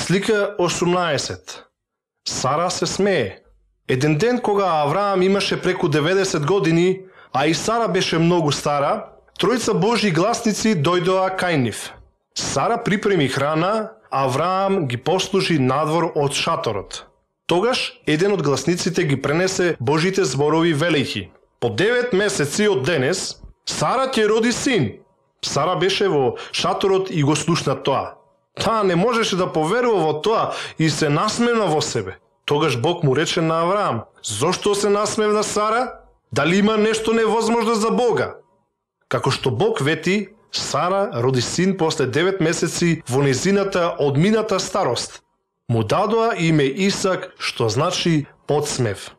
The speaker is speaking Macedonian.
Слика 18. Сара се смее. Еден ден кога Авраам имаше преку 90 години, а и Сара беше многу стара, тројца Божји гласници дојдоа кај нив. Сара припреми храна, Авраам ги послужи надвор од шаторот. Тогаш еден од гласниците ги пренесе Божите зборови велејќи: по 9 месеци од денес Сара ќе роди син. Сара беше во шаторот и го слушна тоа. Таа не можеше да поверува во тоа и се насмевна во себе. Тогаш Бог му рече на Авраам: зошто се насмевна Сара? Дали има нешто невозможно за Бога? Како што Бог вети, Сара роди син после 9 месеци во незината одмината старост. Му дадоа име Исак, што значи подсмев.